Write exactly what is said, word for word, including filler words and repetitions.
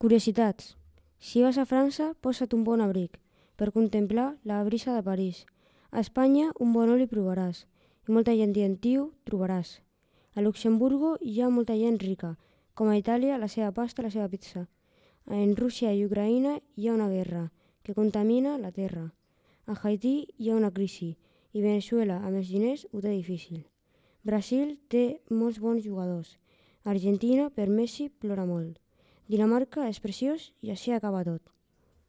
Curiositats. Si vas a França, posa't un bon abric per contemplar la brisa de París. A Espanya un bon oli provaràs i molta gent gentiu trobaràs. A Luxemburgo hi ha molta gent rica, com a Itàlia la seva pasta i la seva pizza. En Rússia i Ucraïna hi ha una guerra que contamina la terra. A Haití hi ha una crisi i Venezuela, amb els diners, ho té difícil. Brasil té molts bons jugadors. Argentina, per Messi, plora molt. Dinamarca és preciós i així acaba tot.